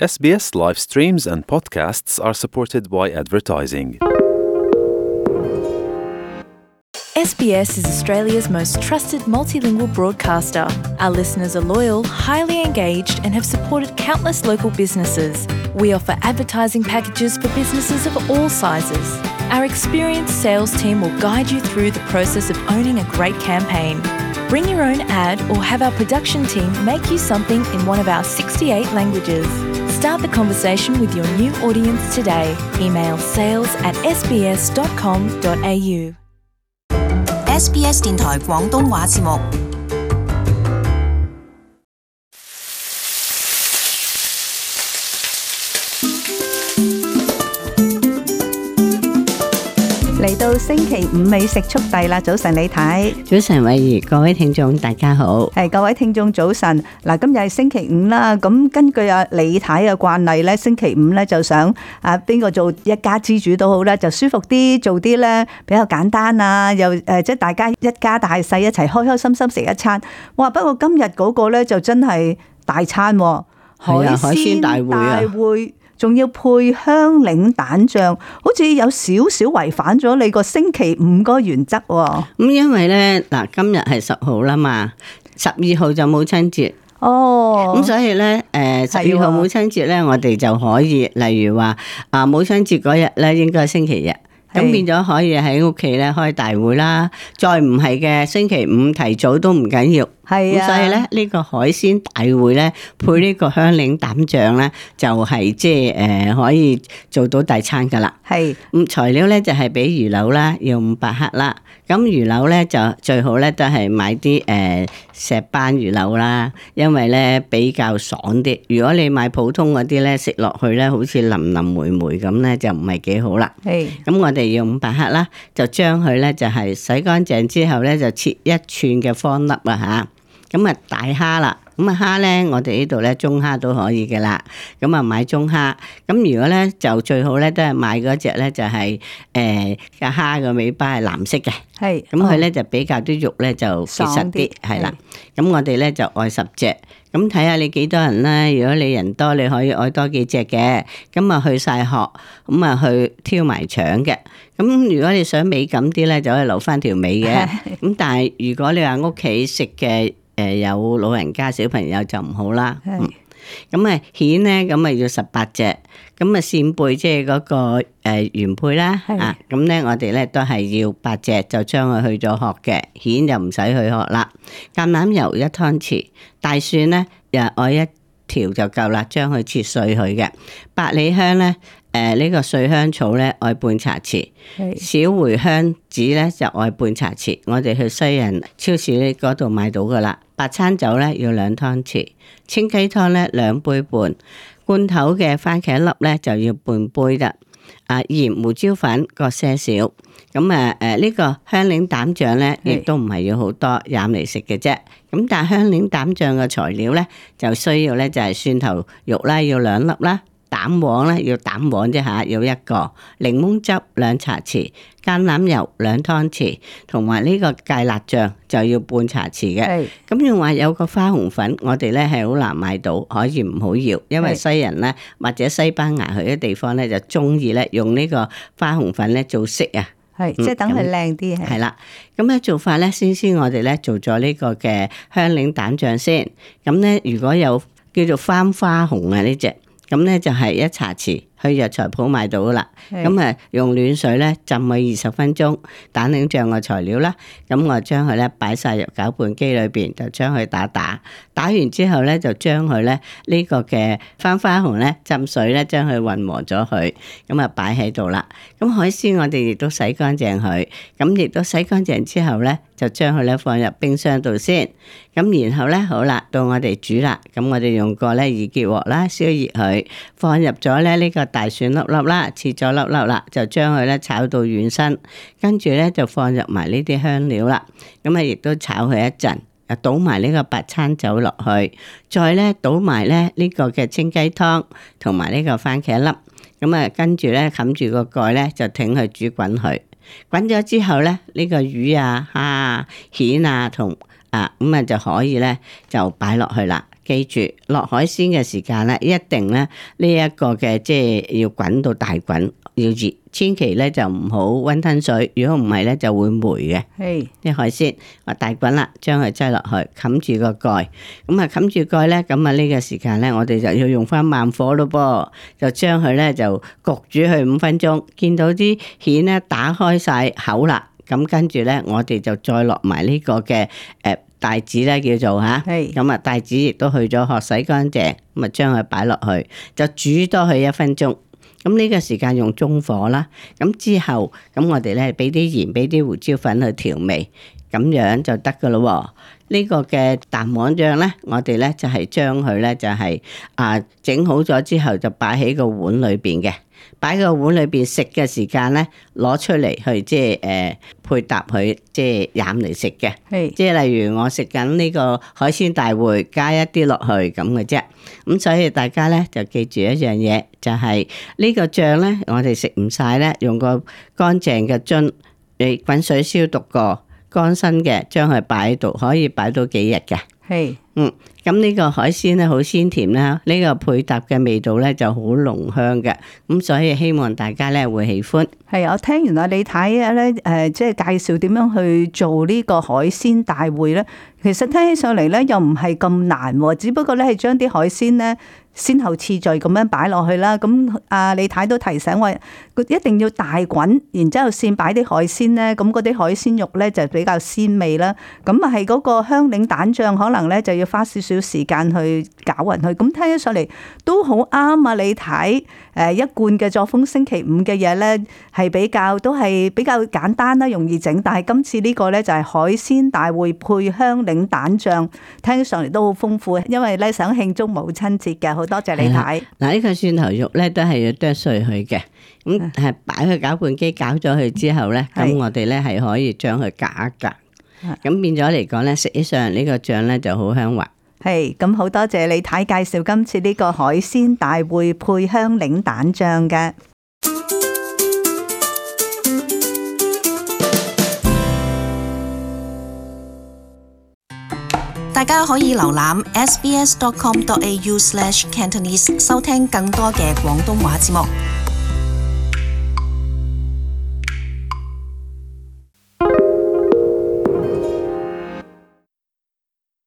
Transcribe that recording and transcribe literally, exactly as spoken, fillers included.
S B S live streams and podcasts are supported by advertising. S B S is Australia's most trusted multilingual broadcaster. Our listeners are loyal, highly engaged, and have supported countless local businesses. We offer advertising packages for businesses of all sizes. Our experienced sales team will guide you through the process of owning a great campaign. Bring your own ad or have our production team make you something in one of our sixty-eight languages. Start the conversation with your new audience today. Email sales at s b s dot com dot a u. S B S 電台廣東話節目。嚟到星期五美食速遞啦！早晨李太，早晨偉儀，各位聽眾大家好。係各位聽眾早晨。嗱，今日係星期五啦。咁根據阿李太嘅慣例咧，星期五咧就想啊邊個做一家之主都好啦，就舒服啲，做啲咧比較簡單啊，又誒即係大家一家大細一齊開開心心食一餐。哇！不過今日嗰個咧就真係大餐喎，海鮮大會啊！仲要配香檸蛋醬，好似有少少違反咗你個星期五嗰個原則喎。咁因為咧嗱，今日係十號啦嘛，十二號就母親節。哦，咁所以咧，誒十二號母親節咧，我哋就可以，例如話啊，母親節嗰日咧，應該係星期日。咁變咗可以喺屋企咧開大會啦，再唔係嘅星期五提早都唔緊要。係啊，咁所以咧呢個海鮮大會咧配呢個香檸蛋醬咧就係即係誒可以做到大餐噶啦。係，咁材料咧就係俾魚柳啦，要五百克啦。咁魚柳咧就最好咧都係買啲誒石斑魚柳啦，因為咧比較爽啲。如果你買普通嗰啲咧食落去咧好似腍腍梅梅咁咧就唔係幾好啦。係，咁我哋要五百克啦，就將佢咧就係洗乾淨之後咧就切一寸嘅方粒啊吓。咁啊大蝦啦，咁啊蝦咧，我哋呢度咧中蝦都可以嘅啦。咁啊買中蝦，咁如果咧就最好咧都係買嗰隻咧就係誒個蝦嘅尾巴係藍色嘅，係咁佢咧就比較啲肉咧就結實啲，係啦。咁我哋咧就愛十隻，咁睇下你幾多人啦。如果你人多，你可以愛多幾隻嘅。咁啊去晒殼，咁啊去挑埋腸嘅。咁如果你想美感啲咧，就可以留翻條尾嘅。咁但係如果你話屋企食嘅，誒有老人家小朋友就唔好啦。咁啊蜆咧，咁啊要十八隻。咁啊扇貝即係嗰個誒原配啦。啊，咁咧我哋咧都係要八隻，就將佢去咗殼嘅。蜆就唔使去殼啦。橄欖油一湯匙，大蒜咧又愛一條就夠啦，將佢切碎佢嘅。百里香咧。誒、呃，呢、這個碎香草咧，愛半茶匙；小茴香籽咧就愛半茶匙。我哋去西人超市嗰度買到噶啦。白餐酒咧要兩湯匙，清雞湯咧兩杯半，罐頭嘅番茄粒咧就要半杯啦。啊，鹽胡椒粉各些少。咁啊，誒、呃，呢、這個香檸蛋醬咧，亦都唔係要好多，飲嚟食嘅啫。咁但係香檸蛋醬嘅材料咧，就需要咧就係蒜頭肉啦，要兩粒啦。蛋黃咧要蛋黃啫吓，要一個檸檬汁兩茶匙，橄欖油兩湯匙，同埋呢個芥辣醬就要半茶匙嘅。咁用話有個花紅粉，我哋咧係好難買到，可以唔好要，因為西人咧或者西班牙去啲地方咧就中意咧用呢個花紅粉咧做色啊。係，即係等佢靚啲。係啦，咁咧做法咧，先先我哋咧做咗呢個嘅香檸蛋醬先。咁咧如果有叫做番花紅啊呢隻。咁咧就係一茶匙，去藥材鋪買到噶啦。咁啊用暖水咧浸佢二十分鐘，蛋檸醬嘅材料啦。咁我將佢咧擺晒入攪拌機裏邊，就將佢打打。打完之後咧，就將佢咧呢個嘅番花紅咧浸水咧，將佢混和咗佢。咁啊擺喺度啦。咁海鮮我哋亦都洗乾淨佢。咁亦都洗乾淨之後咧，就將佢咧放入冰箱度先。咁然後咧好啦，到我哋煮啦。咁我哋用個咧易潔鑊啦，燒熱佢，放入咗咧呢個大蒜粒粒啦，切咗粒粒啦，就將佢咧炒到軟身。跟住咧就放入埋呢啲香料啦。咁啊亦都炒佢一陣。倒埋呢個白餐酒落去，再咧倒埋咧呢個嘅清雞湯同埋呢個番茄粒，咁啊跟住咧冚住個蓋咧就挺佢煮滾佢，滾咗之後咧呢個魚啊、蝦啊、蜆啊同啊咁啊就可以咧就擺落去啦。記住落海鮮嘅時間咧，一定咧呢一個嘅即係要滾到大滾，要熱，千祈咧就唔好溫吞水，如果唔係咧就會霉嘅。係啲海鮮話大滾啦，將佢擠落去，冚住個蓋，咁啊冚住蓋咧，咁啊呢個時間咧，我哋就要用翻慢火咯噃，就將佢咧就焗煮佢五分鐘，見到啲蜆咧打開晒口啦，咁跟住咧我哋就再落埋呢個嘅誒。帶子咧叫做吓，咁啊帶子亦都去咗殼洗乾淨，咁啊將佢擺落去，就煮多佢一分鐘。咁呢個時間用中火啦，咁之後咁我哋咧俾啲鹽，俾啲胡椒粉去調味，咁樣就得噶咯。呢個嘅蛋黃醬咧，我哋咧就係將佢咧就係啊整好咗之後就擺喺個碗裏邊嘅。擺個碗裏邊食嘅時間咧，攞出嚟去即係誒配搭佢即係飲嚟食嘅。係即係例如我食緊呢個海鮮大會，加一啲落去咁嘅啫。咁所以大家咧就記住一樣嘢，就係呢個醬咧，我哋食唔晒咧，用個乾淨嘅樽，你滾水消毒過，乾身嘅，將佢擺喺度，可以擺到幾日嘅。係，嗯，咁呢個海鮮咧好鮮甜啦，呢個配搭嘅味道咧就好濃香嘅，咁所以希望大家咧會喜歡。係，我聽完阿李太咧，誒，即係介紹點樣去做呢個海鮮大會咧，其實聽起上嚟咧又唔係咁難，只不過咧係將啲海鮮咧先後次序咁樣擺落去啦。咁阿李太都提醒我，一定要大滾，然之後先擺啲海鮮咧，咁嗰啲海鮮肉咧就比較鮮味啦。咁啊係嗰個香檸蛋醬可能咧就要花少少時間去攪勻佢。咁聽起上嚟都好啱啊！李太誒一貫嘅作風，星期五嘅嘢咧係比較都係比較簡單啦，容易整。但係今次呢個咧就係海鮮大會配香檸蛋醬，聽起上嚟都好豐富，因為咧想慶祝母親節嘅。好多謝李太。嗱，呢個蒜頭肉咧都係要剁碎佢嘅，咁係擺去攪拌機攪咗佢之後咧，咁我哋咧係可以將佢隔一隔，咁變咗嚟講咧，食起上嚟呢個醬咧就好香滑。係，咁好多謝李太介紹今次呢個海鮮大會配香檸蛋醬嘅。大家可以瀏覽 s b s dot com dot a u slash cantonese 收聽更多嘅廣東話節目。